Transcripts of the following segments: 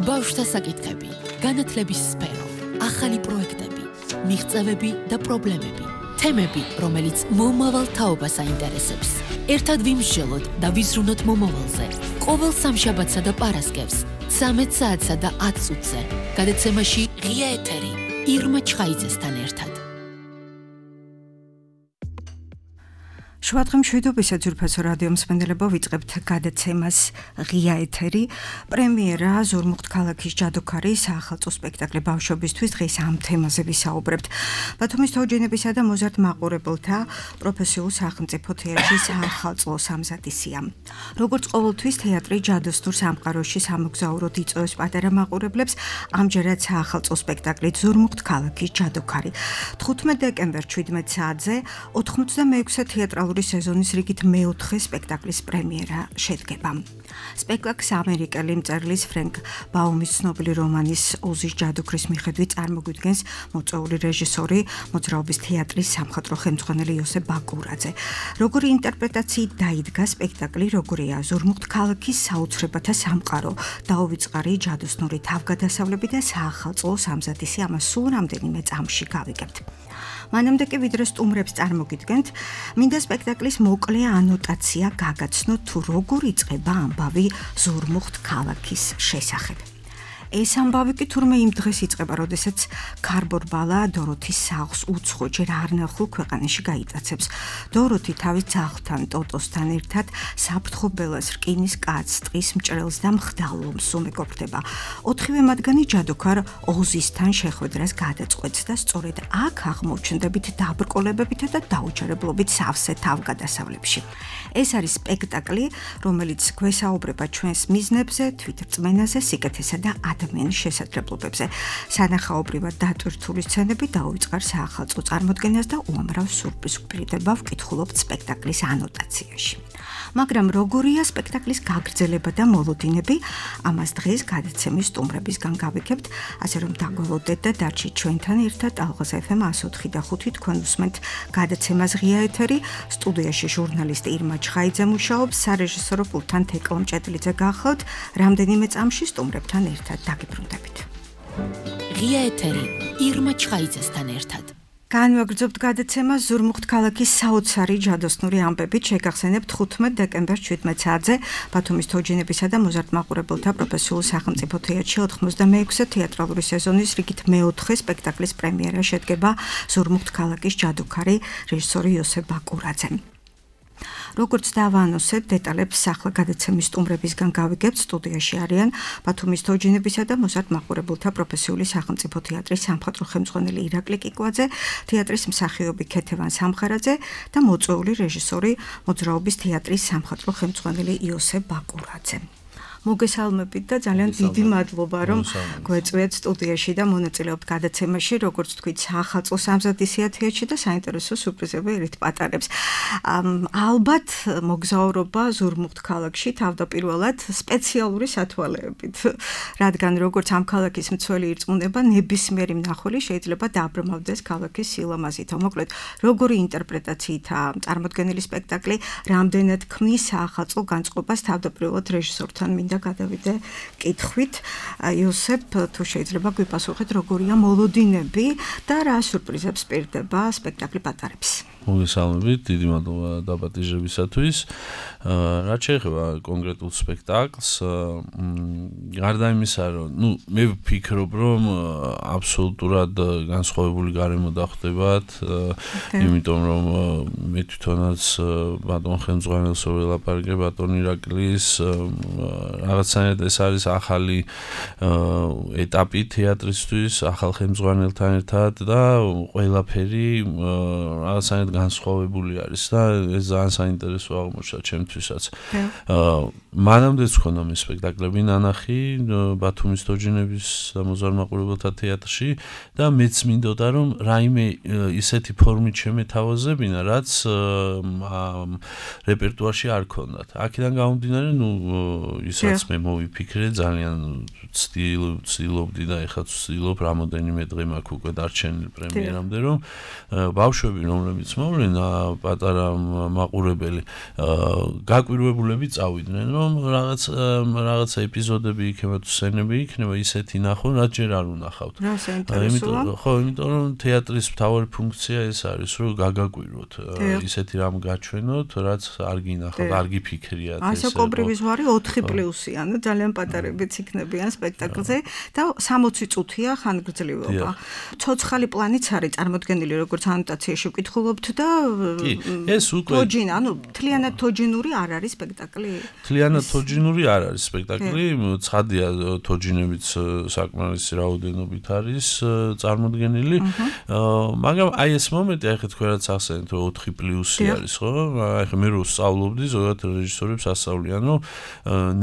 ბავშვთა საკითხები, განათლების სფერო, ახალი პროექტები, მიღწევები და პრობლემები, თემები, რომელიც მომავალ თაობას აინტერესებს. ერთად ვიმსჯელოთ და ვიზრუნოთ მომავალზე. ყოველ სამშაბათსა და პარასკევს, 13 საათსა და 10 წუთზე. გადაცემაში ღია ეთერი, ირმა ჩხაიძესთან ერთად. შუადღე მშვიდობისა ძვირფასო რადიო მსმენელებო, ვიწყებთ გადაცემას ღია ეთერი. პრემიერა ზურმუხტ ქალაქის ჯადოქარი საახალწლო სპექტაკლი ბავშვებისთვის. დღეს ამ თემაზე ვისაუბრებთ. ბათუმის თოჯინებისა და მოზარდ მაყურებელთა პროფესიულ სახელმწიფო თეატრში საახალწლო სამზადისია. როგორც ყოველთვის თეატრი ჯადოსნურ სამყაროში სამოგზაუროდ იწვევს პატარა მაყურებლებს, ამჯერად საახალწლო სპექტაკლი ზურმუხტ ქალაქის ჯადოქარი. 15 დეკემბერს 17 საათზე 86 თეატრალური სეზონის რიგით მეოთხე სპექტაკლის პრემიერა შედგება. სპექტაკლს ამერიკელი მწერლის ფრენკ ბაუმის ცნობილი რომანის ოზის ჯადოქრის მიხედვით წარმოგვიდგენს მოწვეული რეჟისორი, მოძრაობის თეატრის სამხატვრო ხელმძღვანელი იოსებ ბაკურაძე. როგორი ინტერპრეტაციით დაიდგა სპექტაკლი, როგორია ზურმუხტ ქალაქის საოცრებათა სამყარო, დაუვიწყარი ჯადოსნური თავგადასავლები და საახალწლო სამზადისი, ამას სულ რამდენიმე წამში გავიგებთ. მანამდე კი ვიდრე სტუმრებს წარმოგიდგენთ, მინდა სპექტაკლის მოკლე ანოტაცია გაგაცნოთ, თუ როგორ იწყება ამბავი ზურმუხტ ქალაქის შესახებ. ეს ამბავი კი თურმე იმ დღეს იწყება, როდესაც ქარბორბალა დოროთის სახლს უცხო, ჯერ არ ნახულ ქვეყანაში გაიტაცებს. დოროთი თავის ძაღლთან ტოტოსთან ერთად საფრთხობელას რკინის კაცს, ტყის მჭრელს და მხდალობს უმეგობრდება. 4-ვე მათგანი ჯადოქარ ოზისთან შეხვედრას გადაწყვეტს და სწორედ აქ აღმოჩნდებით დაბრკოლებებითა და დაუჯერებლობით სავსე თავგადასავლებში. ეს არის სპექტაკლი, რომელიც გვესაუბრება ჩვენს მიზნებზე, თვითრწმენაზე, სიკეთესა და ადამიანის შესაძლებლობებზე. სანახაობრივად დატვირთული სცენები დაუვიწყარ საახალწლო წარმოდგენას და უამრავ სურპრიზს გვპირდება ვკითხულობთ სპექტაკლის ანოტაციაში. მაგრამ როგორია სპექტაკლის გაგრძელება და მოლოდინები, ამას დღეს გადაცემის სტუმრებისგან გავიგებთ, ასე რომ დაგვალოდეთ და დარჩით ჩვენთან ერთად. ალღაზ FM 104 და 5 თქვენ უსმენთ გადაცემას ღია ეთერი. სტუდიაში ჟურნალისტი ირმა ჩხაიძე მუშაობს, სარეჟისორო პულტთან თეკლო მჭედლიძე გახლავთ. რამდენიმე წამში სტუმრებთან ერთად დაგიბრუნდებით. ღია ეთერი, ირმა ჩხაიძესთან ერთად. განვაგრძობთ გადაცემას ზურმუხტ ქალაქის საოცარი ჯადოსნური ამბებით. შეგახსენებთ 15 დეკემბერს 17 საათზე ბათუმის თოჯინებისა და მოზარდ მაყურებელთა პროფესიულ სახელმწიფო თეატრში 86 თეატრალური სეზონის რიგით მეოთხე სპექტაკლის პრემიერა შედგება ზურმუხტ ქალაქის ჯადოქარი, რეჟისორი იოსებ ბაკურაძე. როგორც დავაანონსეთ, დეტალებს ახლა გადაცემის სტუმრებისგან გავიგებთ. სტუდიაში არიან ბათუმის თოჯინებისა და მოზარდ მაყურებელთა პროფესიული სახელმწიფო თეატრის სამხატვრო ხელმძღვანელი ირაკლი კიკვაძე, თეატრის მსახიობი ქეთევან სამხარაძე და მოწვეული რეჟისორი, მოძრაობის თეატრის სამხატვრო ხელმძღვანელი იოსებ ბაკურაძე. მოგესალმებით და ძალიან დიდი მადლობა, რომ გვეწვიეთ სტუდიაში და მონაწილეობთ გადაცემაში, როგორც თქვით, საახალწლო სამზადისია თეატრში და საინტერესო სურპრიზები ერით პატარებს. ალბათ მოგზაურობა ზურმუხტ ქალაქში თავდაპირველად სპეციალური სათვალეებით, რადგან როგორც ამ ქალაქის მცველი ირწმუნება, ნებისმიერი მნახველი შეიძლება დააბრმავდეს ქალაქის სილამაზით. მოკლედ, როგორი ინტერპრეტაციითაა წარმოდგენილი სპექტაკლი, რამდენად ქმნის საახალწლო განწყობას თავდაპირველად რეჟისორთან მინდა გადავიდე კითხვით. იოსებ, თუ შეიძლება გვიპასუხეთ, როგორია მოლოდინები და რა სურპრიზებს პირდება სპექტაკლი პატარებს. მოგესალმებით, დიდი მადლობა დაპატიჟებისათვის. რაც შეეხება კონკრეტულ სპექტაკლს, გარდა იმისა, რომ მე ვფიქრობ, რომ აბსოლუტურად განსხვავებული გარემო დახვდებათ, იმიტომ რომ მე თვითონაც ბატონ ხელმძღვანელს ველაპარაკე, ბატონ ირაკლის, რაღაცნაირად ეს არის ახალი ეტაპი თეატრისთვის, ახალ ხელმძღვანელთან ერთად და ყველაფერი რაღაცნაირად განსხვავებული არის და ეს ძალიან საინტერესო აღმოჩნდა ჩემთვისაც. მანამდეც ხონდა მე სპექტაკლები ნანახი ბათუმის თოჯინების და მოზარდ მაყურებელთა თეატრში და მეც მინდოდა რომ რაიმე ისეთი ფორმით შემეთავაზებინა, რაც რეპერტუარში არ ქონდათ. აქედან გამომდინარე, ისაც მე მოვიფიქრე ძალიან ვცდილობდი და ეხლა ვცდილობ რამოდენიმე დღე მაქვს უკვე დარჩენილი პრემიერამდე რომ ბავშვები რომლებიც მოვლენა პატარა მაყურებელი გაკვირვებულები წავიდნენ რომ რაღაცა ეპიზოდები იქნება თუ სცენები იქნება ისეთი ნახონ რაც ჯერ არ უნახავთ. იმიტომ რომ თეატრის მთავარი ფუნქცია ეს არის რომ გაგაკვირვოთ ისეთი რამ გაჩვენოთ რაც არ გინახავთ არ გიფიქრიათ ასე კობრივი ზვარი 4+-იან ძალიან პატარებიც იქნებიან სპექტაკლზე და 60 წუთია ხანგრძლივობა. ცოცხალი პლანიც არის წარმოდგენილი როგორც ანოტაციაში ვკითხულობთ და ეს უკვე თოჯინ ანუ თლიანად თოჯინური არ არის სპექტაკლი. თლიანად თოჯინური არ არის სპექტაკლი, ცხადია თოჯინებიც საკმარისი რაოდენობით არის წარმოდგენილი, მაგრამ აი ეს მომენტი ახლა თქვენ რაც ახსენეთ რომ 4+ არის ხო? ახლა მე რო ვსწავლობდი ზოგადად რეჟისორებს ასწავლიან რომ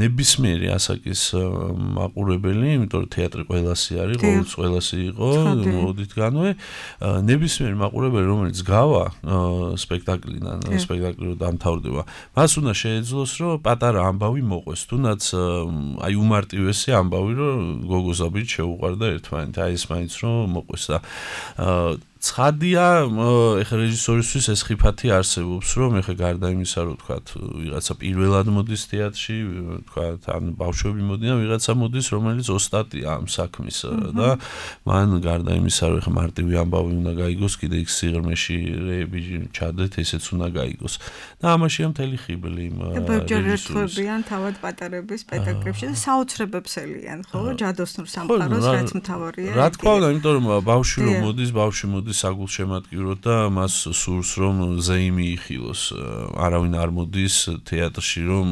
ნებისმიერი ასაკის მაყურებელი, იმიტომ რომ თეატრი ყველასი არის, ყველასი იყო, მოდითგანვე ნებისმიერი მაყურებელი რომელიც გავა სპექტაკლიდან, სპექტაკლი რო დამთავრდება, მას უნდა შეეძლოს რომ პატარა ამბავი მოყვეს, თუნდაც აი უმარტივესი ამბავი რომ გოგოზაბით შეუყვარდა ერთმანეთი, აი ეს მაინც რომ მოყვეს და ცხადია, ეხლა რეჟისორისთვის ეს ხიფათი არსებობს, რომ ეხლა გარდა იმისა, რომ თქვათ, ვიღაცა პირველად მოდის თეატრში, თქვათ, ან ბავშვები მოდიან, ვიღაცა მოდის, რომელიც ოსტატია ამ საქმის და მან გარდა იმისა, რომ ეხლა მარტივი ამბავი უნდა გაიგოს, კიდე იქ სიღრმეში რეები ჩადეთ, ესეც უნდა გაიგოს. და ამაშია მთელი ხიბლი იმ რეჟისორებიან თავად პატარების სპექტაკლებში და საოცრებებს ელიან, ხო? ჯადოსნურ სამყაროს რაც მთავარია. რა თქმა უნდა, იმიტომ რომ ბავშვი რომ მოდის საგულშემატკივროდ და მას სურს რომ ზეიმი იხილოს. არავინ არ მოდის თეატრში რომ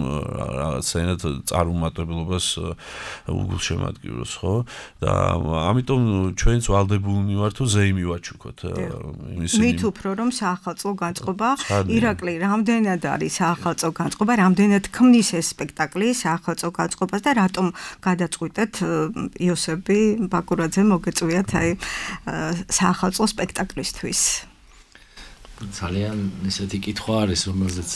რაღაცნაირად წარუმატებლობას უგულშემატკივროს, ხო? და ამიტომ ჩვენც ვალდებულნი ვართ თუ ზეიმი ვაჩუქოთ. მით უფრო რომ საახალწლო განწყობა ირაკლი რამდენად არის საახალწლო განწყობა, რამდენად ქმნის ეს სპექტაკლი საახალწლო განწყობას და რატომ გადაწყვიტეთ იოსები ბაკურაძე მოგეწვიათ აი საახალწლო სპექტაკლისთვის. ძალიან ისეთი კითხვა არის, რომელზეც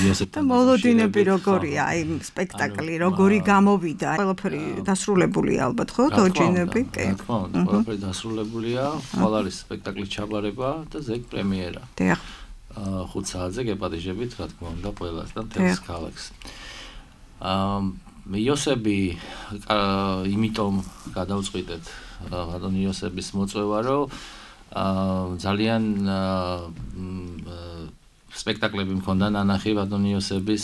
იოსებთან და მოლოდინები როგორია, აი სპექტაკლი როგორი გამოვიდა, ყველაფერი დასრულებულია ალბათ, ხო, თოჯინები? კი. რა თქმა უნდა, ყველაფერი დასრულებულია, ხვალ არის სპექტაკლის ჩაბარება და ზეგ პრემიერა. დიახ. 5 საათზე გეპატიჟებით, რა თქმა უნდა, ყველას და მთელს ქალაქს. იოსები იმიტომ გადავწყვიტეთ ბატონ იოსების მოწვევა, რომ ძალიან სპექტაკლები მქონდა ნანახი ბატონ იოსების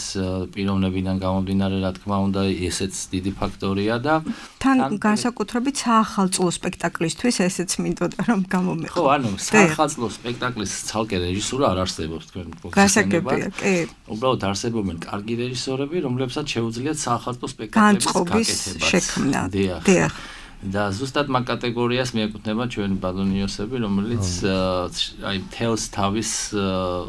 პიროვნებიდან გამომდინარე, რა თქმა უნდა, ესეც დიდი ფაქტორია და თან განსაკუთრებით საახალწლო სპექტაკლისთვის ესეც მინდოდა რომ გამომიყო. ხო, ანუ საახალწლო სპექტაკლის ცალკე რეჟისურა არ არსებობს თქვენ გასაგებია, კი. უბრალოდ არსებობენ კარგი რეჟისორები, რომლებსაც შეუძლიათ საახალწლო სპექტაკლების შექმნა. დიახ. და ზუსტად მაგ კატეგორიას მიეკუთვნება ჩვენი ბატონი იოსები, რომელიც აი თელს თავის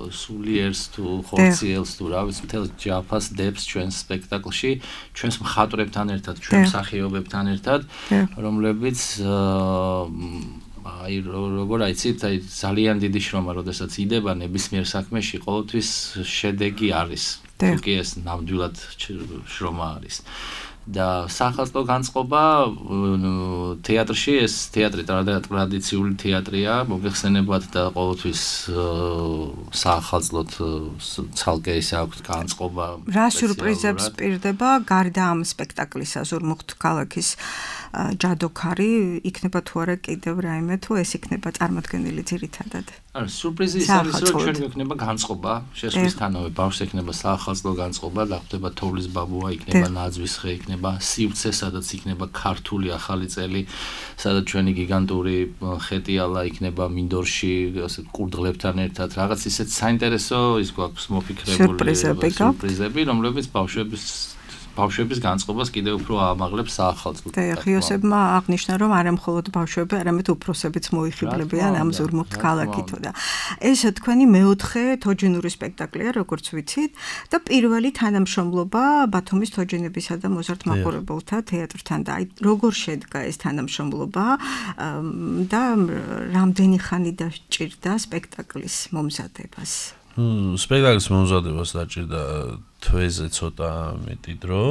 სულიერს თუ ხორციელს თუ რა ვიცი, თელს ჯაფას დებს ჩვენს სპექტაკლში, ჩვენს მხატვრებთან ერთად, ჩვენ მსახიობებთან ერთად, რომლებიც აი როგორ აიცით, აი ძალიან დიდი შრომა, როდესაც იდება ნებისმიერ საქმეში, ყოველთვის შედეგი არის. თუ კი ეს ნამდვილად შრომა არის. და საახალწლო განწყობა თეატრში ეს თეატრი ტრადიციული თეატრია, მოგეხსენებათ და ყოველთვის საახალწლოდ ცალკე ისე აქვს განწყობა. რა სიურპრიზებს პირდება გარდა ამ სპექტაკლისა ზურმუხტ ქალაქის ჯადოქარი, იქნება თუ არა კიდევ რაიმე თუ ეს იქნება წარმოდგენილი ძირითადად? ანუ სიურპრიზი ის არის, რომ ჩვენ გვექნება განწყობა, შესვლისთანავე ბავშვს ექნება საახალწლო განწყობა, დახვდება თოვლის ბაბუა, იქნება ნაძვის ხე, იქნება სივრცე, სადაც იქნება ქართული ახალი წელი, სადაც ჩვენი გიგანტური ხეტიალა იქნება მინდორში, ასე კურდღლებთან ერთად, რაღაც ისეთ საინტერესო ის გვაქვს მოფიქრებული სიურპრიზები, რომლებიც ბავშვების განწყობას კიდევ უფრო აამაღლებს საახალწლოდ. იოსებმა აღნიშნა, რომ არა მხოლოდ ბავშვები, არამედ უფროსებიც მოიხიბლებიან ამ ზურმუხტ ქალაქით და ეს თქვენი მეოთხე თოჯინური სპექტაკლია, როგორც ვიცით, და პირველი თანამშრომლობა ბათუმის თოჯინებისა და მოზარდ მაყურებელთა თეატრთან და აი როგორ შედგა ეს თანამშრომლობა და რამდენი ხანი დაჭირდა სპექტაკლის მომზადებას? სპექტაკლის მომზადებას დაჭირდა თვეზე ცოტა მეტი დრო,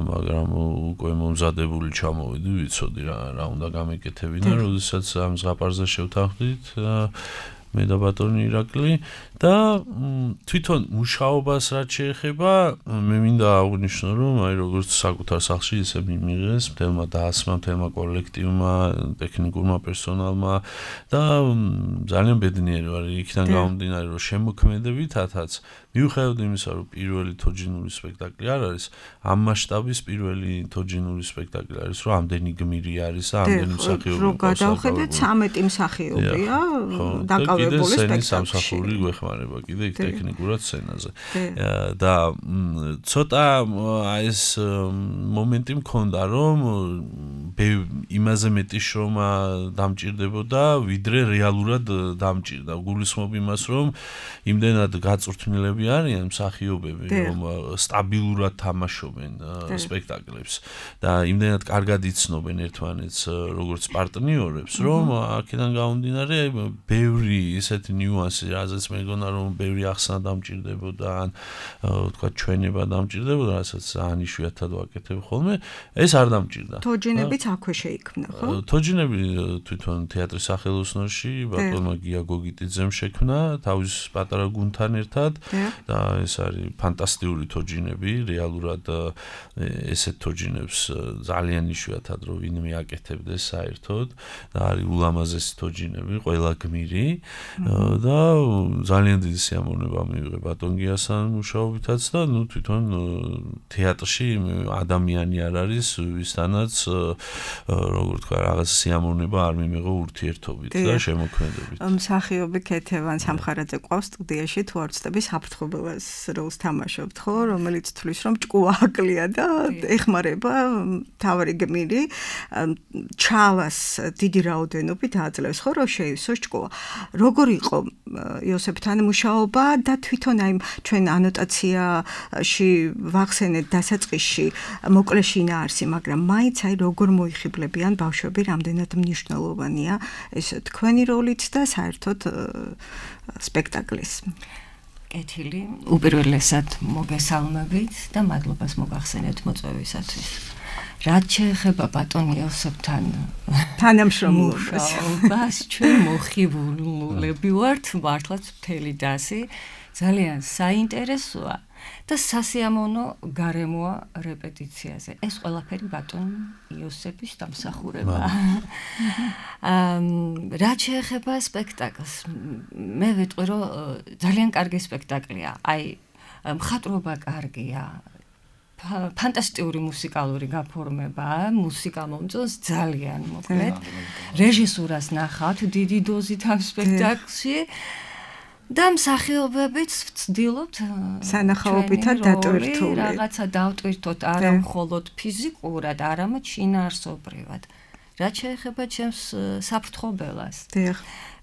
მაგრამ უკვე მომზადებული ჩამოვიდი, ვიცოდი რა უნდა გამეკეთებინა, როდესაც ამ ზღაპარზე შევთანხმდით მე და ბატონი ირაკლი და თვითონ მუშაობას რაც შეეხება მე მინდა აღვნიშნო რომ აი როგორც საკუთარ სახლში ისე მიმიღეს მთელმა დაასმა მთელმა კოლექტივმა ტექნიკურმა პერსონალმა და ძალიან ბედნიერი ვარ იქიდან გამომდინარე რომ შემოქმედებითაც მიუხედავად იმისა რომ პირველი თოჯინური სპექტაკლი არ არის ამ მასშტაბის პირველი თოჯინური სპექტაკლი არის რომ ამდენი გმირი არის და ამდენი მსახიობი რო გადავხედეთ 13 მსახიობია დაკავებული სპექტაკლში სამსახური გვეხმარება კიდე იქ ტექნიკურად სცენაზე და ცოტა ეს მომენტი მქონდა რომ იმაზე მეტი შრომა დამჭირდებოდა ვიდრე რეალურად დამჭირდა გულისხმობ იმას რომ იმდენად გაწვრთნილები არიან მსახიობები რომ სტაბილურად თამაშობენ სპექტაკლებს და იმდენად კარგად იცნობენ ერთმანეთს როგორც პარტნიორებს რომ აქედან გამომდინარე ბევრი ისეთი ნიუანსი რაზეც მეგონა რომ ბევრი ახსნა დამჭირდებოდა ან თქვა ჩვენება დამჭირდებოდა რასაც ძალიან იშვიათად ვაკეთებ ხოლმე ეს არ დამჭირდა თოჯინებიც აქვე შეიქმნა ხო თოჯინები თვითონ თეატრის სახელოსნოში ბატონმა გია გოგიტიძემ შექმნა თავის პატარა გუნდთან ერთად და ეს არის ფანტასტიკური თოჯინები რეალურად ესეთ თოჯინებს ძალიან იშვიათად რომ ვინმე აკეთებდეს საერთოდ და არის ულამაზესი თოჯინები ყველა გმირი და ძალიან დიდი სიამოვნება მივიღე ბატონ გიასთან მუშაობითაც და ნუ თვითონ თეატრში ადამიანი არ არის ვისთანაც როგორ თქვა რაღაც სიამოვნება არ მიმიღო ურთიერთობით და შემოქმედებით მსახიობი ქეთევან სამხარაძე ყავს სტუდიაში თუ არ ვცდები საფრთხობელას როლს თამაშობთ ხო რომელიც თulis რომ ჭკუა აკლია და ეხმარება თავარი გმირი ჩალას დიდი რაოდენობით აძლევს ხო რომ შეივსოს ჭკუა როგორ იყო იოსებთან მუშაობა და თვითონ აი ჩვენ ანოტაციაში ვახსენეთ დასაწყისში მოკლე შინაარსი მაგრამ მაინც აი როგორ მოიხიბლებიან ბავშვები რამდენად მნიშვნელოვანია ეს თქვენი როლიც და საერთოდ სპექტაკლის კეთილი უპირველესად მოგესალმებით და მადლობას მოგახსენეთ მოწვევისათვის რაც შეეხება ბატონ იოსებთან თანამშრომლობას ჩვენ მოხიბლულები ვართ მართლაც მთელი დასი ძალიან საინტერესოა და სასიამოვნო გარემოა რეპეტიციაზე ეს ყველაფერი ბატონ იოსების დამსახურებაა რაც შეეხება სპექტაკლს მე ვიტყვი რომ ძალიან კარგი სპექტაკლია აი მხატვრობა კარგია ფანტასტიკური მუსიკალური გაფორმებაა მუსიკა მომწონს ძალიან მოკლედ რეჟისურას ნახავთ დიდი დოზით ამ სპექტაკლში და მსახიობებიც ვცდილობთ სანახაობითად დატვირთული რაღაცა დავტვირთოთ არა მხოლოდ ფიზიკურად არამედ შინაარსობრივად რაც შეეხება ჩემს საფრთხობელას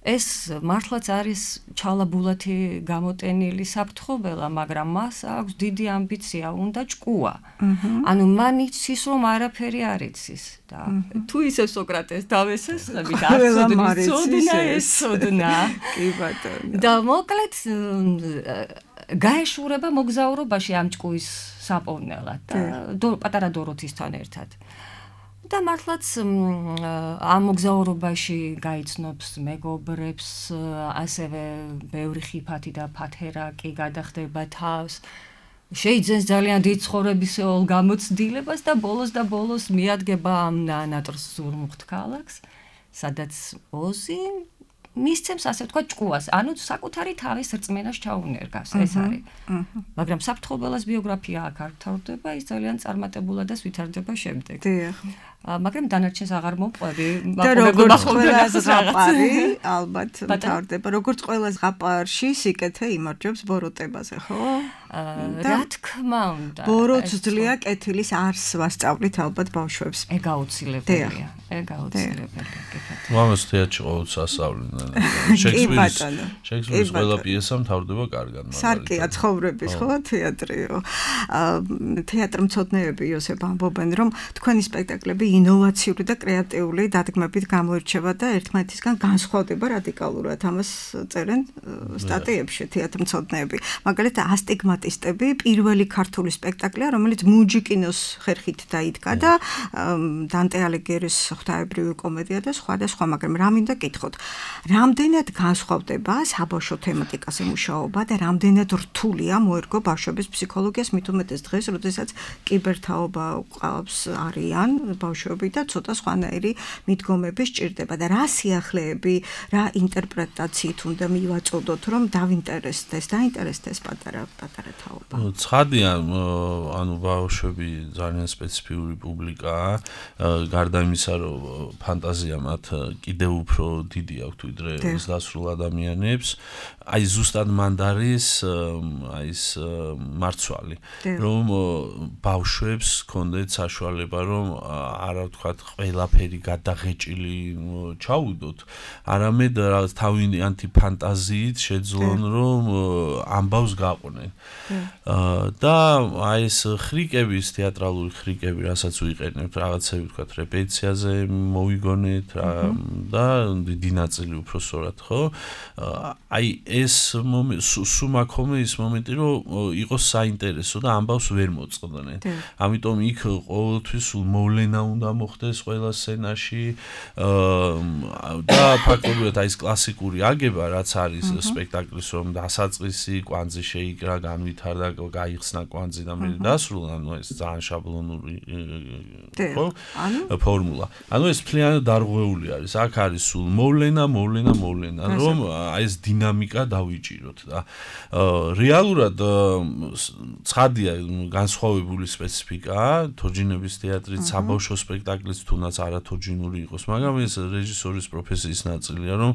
ეს მართლაც არის ჩალაბულათი გამოტენილი საფრთხობელა მაგრამ მას აქვს დიდი ამბიცია უნდა ჭკუა ანუ მან იცის რომ არაფერი არ იცის და თუ ისე სოკრატეს დავესესხებით არ ცოდნა ეს ცოდნა კი ბატონო და მოკლედ გაეშურება მოგზაურობაში ამ ჭკუის საპოვნელად და პატარა დოროთისთან ერთად და მართლაც ამ მოგზაურობაში გაიცნობს მეგობრებს, ასევე ბევრი ხიფათი და ფათერაკი გადახდება თავს. შეიძენს ძალიან დიდ ცხოვრებისეულ გამოცდილებას და ბოლოს მიადგება ამ ნატრს ზურმუხტ ქალაქს, სადაც ოზი მისცემს ასე თქვა ჭკუას, ანუ საკუთარი თავის რწმენას ჩაუნერგავს, ეს არის. მაგრამ საფრთხობელას ბიოგრაფია აქ არ თავდება, ის ძალიან წარმატებულადაც ვითარდება შემდეგ. დიახ. მაგრამ დანარჩენს აღარ მომყვები, და როგორც ყველა ზღაპარი, ალბათ მთავრდება, როგორც ყველა ზღაპარში სიკეთე იმარჯვებს ბოროტებაზე, ხო? რა თქმა უნდა. ბოროტს ძლია კეთილის არს ვასწავლით ალბათ ბავშვებს. ეგ აუცილებელია. ეგ აუცილებელია. მამას თეატრში ყოველთვის ასწავლენ. შექსპირის ყველა პიესა მთავრდება კარგად, მაგალითად. სარკეა ცხოვრების, ხო, თეატრიო. თეატრმცოდნეები იოსებ ამბობენ, რომ თქვენი სპექტაკლები ინოვაციური და კრეატიული დადგმებით გამოირჩევა და ერთმანეთისგან განსხვავდება რადიკალურად. ამას წერენ სტატიებში თეატრმცოდნეები. მაგალითად, ასტიგმატი არტისტები, პირველი ქართული სპექტაკლია, რომელიც მუჯიკინოს ხერხით დაიდგა და დანტე ალიგიერის ღვთაებრივი კომედია და სხვა და სხვა, მაგრამ რა მინდა გითხოთ, რამდენად განსხვავდება საბავშვო თემატიკაზე მუშაობა და რამდენად რთულია მოერგო ბავშვების ფსიქოლოგიას, მით უმეტეს დღეს, როდესაც კიბერთაობა ყავს არიან ბავშვები და ცოტა სხვანაირი მიდგომები სჭირდება და რა სიახლეები, რა ინტერპრეტაციით უნდა მივაწოდოთ, რომ დაინტერესდეს პატარა თაობა. ცხადია, ანუ ბავშვები ძალიან სპეციფიური პუბლიკაა, გარდა იმისა, რომ ფანტაზია მათ კიდევ უფრო დიდი აქვთ ვიდრე დასრულ ადამიანებს, აი ზუსტად მანდ არის აი ეს მარცვალი, რომ ბავშვებს ქონდეთ საშუალება, რომ არა ვთქვათ ყველაფერი გადაღეჭილი ჩაუდოთ, არამედ რაღაც თავიანთი ფანტაზიით შეძლონ, რომ ამბავს გაყვნენ. და აი ეს ხრიკების, თეატრალური ხრიკები, რასაც ვიყენებთ, რაღაცები ვთქვათ რეპეტიციაზე მოვიგონეთ და დიდი ნაწილი უფრო სწორად, ხო? აი ეს სუმაქომე ის მომენტი, რომ იყოს საინტერესო და ამბავს ვერ მოწყდნენ. ამიტომ იქ ყოველთვის სულ მოვლენა უნდა მოხდეს ყველა სცენაში და ფაქტობრივად აი ეს კლასიკური აგება, რაც არის სპექტაკლის, რომ დასაწყისი კვანძი შეიკრა, განვითარდა, გაიხსნა კვანძი და მე დასრულა, ანუ ეს ძალიან შაბლონური ხო? ფორმულა. ანუ ეს მთლიანად დარღვეული არის. აქ არის სულ მოვლენა, რომ აი ეს დინამიკა დავიჭიროთ და რეალურად ცხადია განსხვავებული სპეციფიკაა, თოჯინების თეატრით, საბავშვო სპექტაკლის თუნდაც არათოჯინური იყოს, მაგრამ ეს რეჟისორის პროფესიის ნაწილია, რომ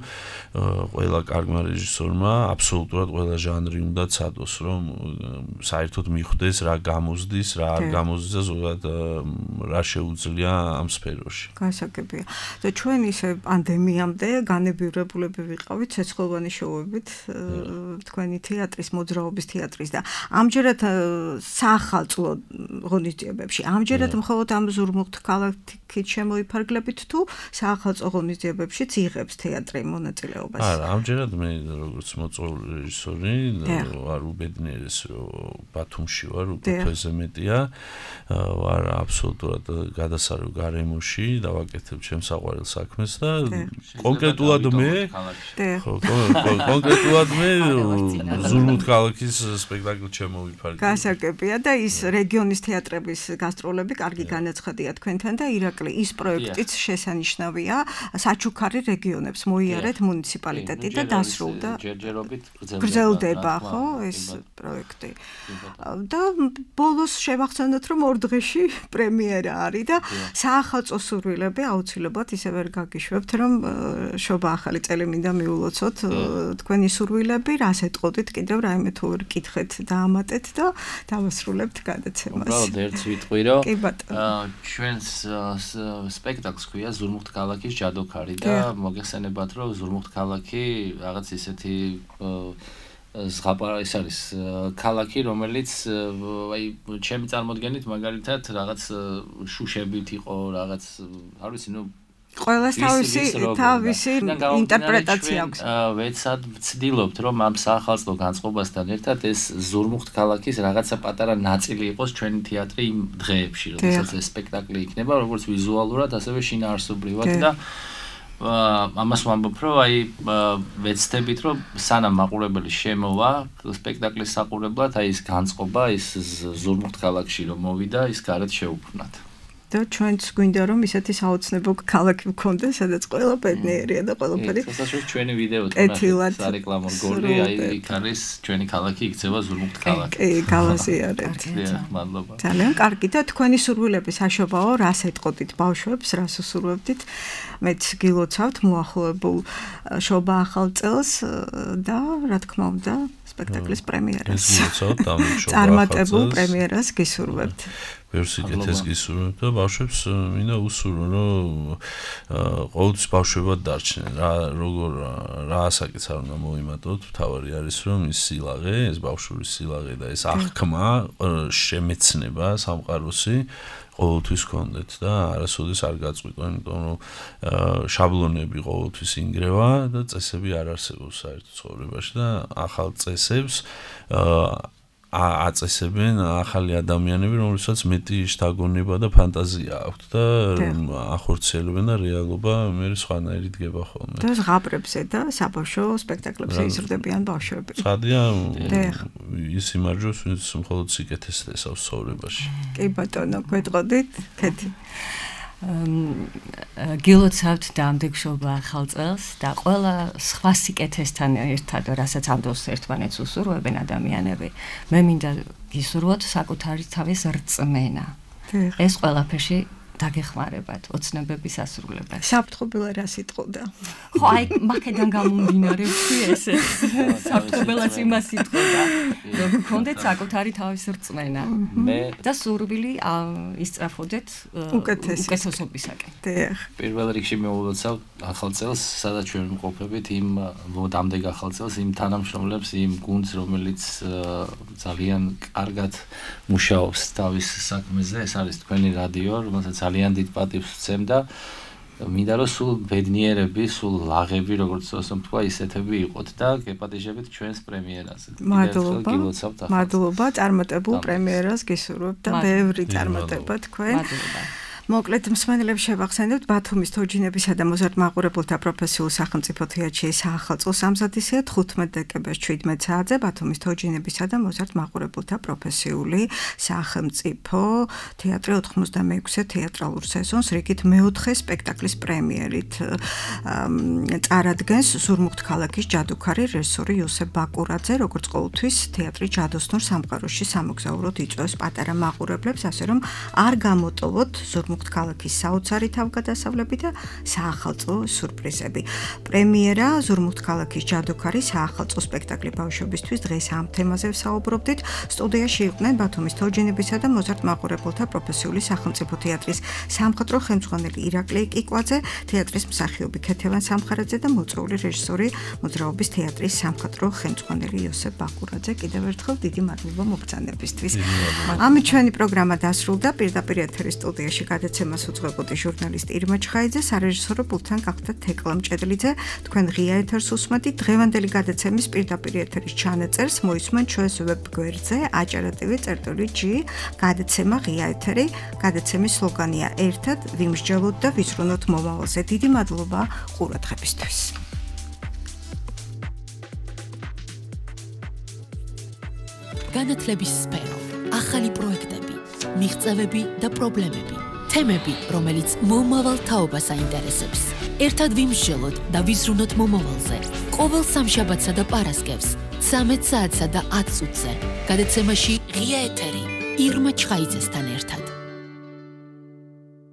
ყველა კარგმა რეჟისორმა აბსოლუტურად ყველა ჟანრი უნდა ცადოს, რომ საერთოდ მიხვდეს რა გამოზდის, რა არ გამოზდის და ზოგადად რა შეუძლია ამ სფეროში. გასაგებია. და ჩვენ ისე პანდემიამდე განებივრებულები ვიყავით ცეცხლოვანი შოუებით თქვენი თეატრის, მოძრაობის თეატრის და ამჯერად საახალწლო ღონისძიებებში, ამჯერად მხოლოდ ამ ზურმუხტ ქალაქით შემოიფარგლებით თუ საახალწლო ღონისძიებებშიც იღებს თეატრი მონაწილეობას? არა, ამჯერად მე როგორც მოწვეული რეჟისორი ვარ უბედნიერეს, რომ ბათუმში ვარ, უკვე თვეზე მეტია, ვარ აბსოლუტურად გადასარევ გარემოში და ვაკეთებ ჩემს საყვარელ საქმეს და კონკრეტულად მე ზურმუხტ ქალაქის სპექტაკლით შემოვიფარგლებ. გასაგებია და ის რეგიონის თეატრების გასტროლები კარგი განაცხადია თქვენთან და ირაკლი ის პროექტიც შესანიშნავია საჩუქარი რეგიონებს მოიარეთ მუნიციპალიტეტი და დასრულდა ჯერჯერობით გრძელდება ხო ეს პროექტი და ბოლოს შევახსენოთ რომ ორ დღეში პრემიერა არის და საახალწლო სურვილები აუცილებლად ისე ვერ გაგიშვებთ რომ შობა ახალი წელი მინდა მიულოცოთ თქვენი სურვილები რას ეტყოდით კიდევ რაიმე თუ ვერ კითხეთ დაამატეთ და დავასრულებთ გადაცემას. უბრალოდ ერთს ვიტყვი რომ ჩვენს სპექტაკლს ქვია ზურმუხტ ქალაქის ჯადოქარი და მოგეხსენებათ რომ ზურმუხტ ქალაქი რაღაც ისეთი ზღაპარა ის არის ქალაქი რომელიც აი ჩემი წარმოდგენით მაგალითად რაღაც შუშებით იყო რაღაც არ ვიცი ნუ ყველას თავისი ინტერპრეტაცია აქვს. ვეცად ვცდილობთ რომ ამ საახალწლო განწყობასთან ერთად ეს ზურმუხტ ქალაქის რაღაცა პატარა ნაწილი იყოს ჩვენი თეატრი იმ დღეებში, როდესაც ეს სპექტაკლი იქნება, როგორც ვიზუალურად, ასევე შინაარსობრივად და ამას ვამბობ, რომ აი ვეცდებით, რომ სანამ მაყურებელი შემოვა სპექტაკლის საყურებლად, აი ეს განწყობა, ის ზურმუხტ ქალაქში რომ მოვიდა, ის გარეთ შეუქმნათ. და ჩვენც გვინდა რომ ისეთი საოცნებო ქალაქი გქონდეს, სადაც ყველა ბედნიერია და ყველაფერი. შესაძლოა ჩვენი ვიდეო თუნდაც სარეკლამო რგოლი, აი იქ არის ჩვენი ქალაქი იქცევა ზურმუხტ ქალაქი. კი, გავაზიარეთ. მადლობა. ძალიან კარგი და თქვენი სურვილები საშობაო, რას ეტყოდით ბავშვებს, რას უსურვებდით? მეც გილოცავთ მოახლოებულ შობა ახალ წელს და რა თქმა უნდა სპექტაკლის პრემიერას. წარმატებულ პრემიერას გისურვებთ. ვერსიკეთეს გისურვებთ და ბავშვებს მინდა უსურვო, რომ ყოველთვის ბავშვებად დარჩნენ. რა ასაკიც არ უნდა მოიმატოთ, თავარი არის რომ ის სილაღე, ეს ბავშვური სილაღე და ეს აღქმა, შემეცნება სამყაროსი ყოველთვის გქონდეთ და არასოდეს არ გაწყვიტო, იმიტომ რომ შაბლონები ყოველთვის ინგრევა და წესები არ არსებობს საერთო ცხოვრებაში და ახალ წესებს აწესებენ ახალი ადამიანები, რომელსაც მეტი შთაგონება და ფანტაზია აქვთ და ახორციელებენ და რეალობა მე სხვანაირი დგება ხოლმე. და ზღაპრებზე და საბავშვო სპექტაკლებზე იზრდებიან ბავშვები. ცხადია ის იმარჯვებს, ვინც მხოლოდ სიკეთეს ესავს ცხოვრებაში. კი ბატონო, გვეტყოდით, ქეთი. გილოცავთ დამდეგშობა ახალ წელს და ყველა სხვა სიკეთესთან ერთად, რასაც ამ დროს ერთმანეთს უსურვებენ ადამიანები, მე მინდა გისურვოთ საკუთარი თავის რწმენა. ეს ყველაფერში დაგეხმარებათ ოცნებების ასრულებას. საფრთხობელა რა სიტყოდა? ხო, აი, მაქედან გამომდინარე ვთქვი ესე. საფრთხობელაც იმას სიტყოდა, რომ გქონდეთ საკუთარი თავის რწმენა. და სურვილი ისწრაფოდეთ უკეთესობისაკენ. პირველ რიგში მოვულოცავ ახალ წელს, სადაც ჩვენ ვიმყოფებით იმ დამდეგ ახალ წელს იმ თანამშრომლებს, იმ გუნდს, რომელიც ძალიან კარგად მუშაობს თავის საქმეზე. ეს არის თქვენი რადიო, რომელსაც ძალიან დიდ პატივს ვცემ და მინდა რომ სულ ბედნიერები, სულ ლაღები, როგორც თქვა, ისეთები იყოთ და გეპატიჟებით ჩვენს პრემიერაზე. მადლობა, წარმატებულ პრემიერას გისურვებთ და ბევრი წარმატება თქვენ. მადლობა. მოკლედ მსმენელებს შევახსენებთ ბათუმის თოჯინებისა და მოზარდ მაყურებელთა პროფესიულ სახელმწიფო თეატრში საახალწლო სამზადისია 15 დეკემბერს 17 საათზე ბათუმის თოჯინებისა და მოზარდ მაყურებელთა პროფესიული სახელმწიფო თეატრი 86-ე თეატრალურ სეზონს რიგით მეოთხე სპექტაკლის პრემიერით წარადგენს ზურმუხტ ქალაქის ჯადუქარი რეჟისორი იოსებ ბაკურაძე, როგორც ყოველთვის თეატრი ჯადოსნურ სამყაროში სამოგზაუროდ იწვევს პატარა მაყურებლებს, ასე რომ არ გამოტოვოთ ზურმუხტ ქალაქის საოცარი თავგადასავლები და საახალწლო სურპრიზები. პრემიერა ზურმუხტ ქალაქის ჯადუქარი საახალწლო სპექტაკლი ბავშვებისთვის დღეს ამ თემაზე ვსაუბრობდით. სტუდიაში იყვნენ ბათუმის თოჯინებისა და მოზარდ მაყურებელთა პროფესიული სახელმწიფო თეატრის სამხატვრო ხელმძღვანელი ირაკლი კიკვაძე, თეატრის მსახიობი ქეთევან სამხარაძე და მოწვეული რეჟისორი მოძრაობის თეატრის სამხატვრო ხელმძღვანელი იოსებ ბაკურაძე. კიდევ ერთხელ დიდი მადლობა მობრძანებისთვის. ამით ჩვენი პროგრამა დასრულდა. პირდაპირ ეთერის სტუდიაში გადაცემას უძღვებოდი ჟურნალისტი ირმა ჩხაიძე, სარეჟისორო პულტთან გახდა თეკლა მჭედლიძე. თქვენ ღია ეთერს უსმენთ. დღევანდელი გადაცემის პირდაპირ ეთერის ჩანაწერს მოისმენთ ჩვენს ვებ გვერდზე acara.tv/G. გადაცემა ღია ეთერი. გადაცემის სლოგანია ერთად ვიმსჯელოთ და ვიზრუნოთ მომავალზე. დიდი მადლობა ყურადღებისთვის. განათლების სფერო, ახალი პროექტები, მიღწევები და პრობლემები. თემები, რომელიც მომავალ თაობას აინტერესებს. ერთად ვიმსჯელოთ და ვიზრუნოთ მომავალზე. ყოველ სამშაბათსა და პარასკევს 13 საათსა და 10 წუთზე. გადაცემაში ღია ეთერი ირმა ჩხაიძესთან ერთად.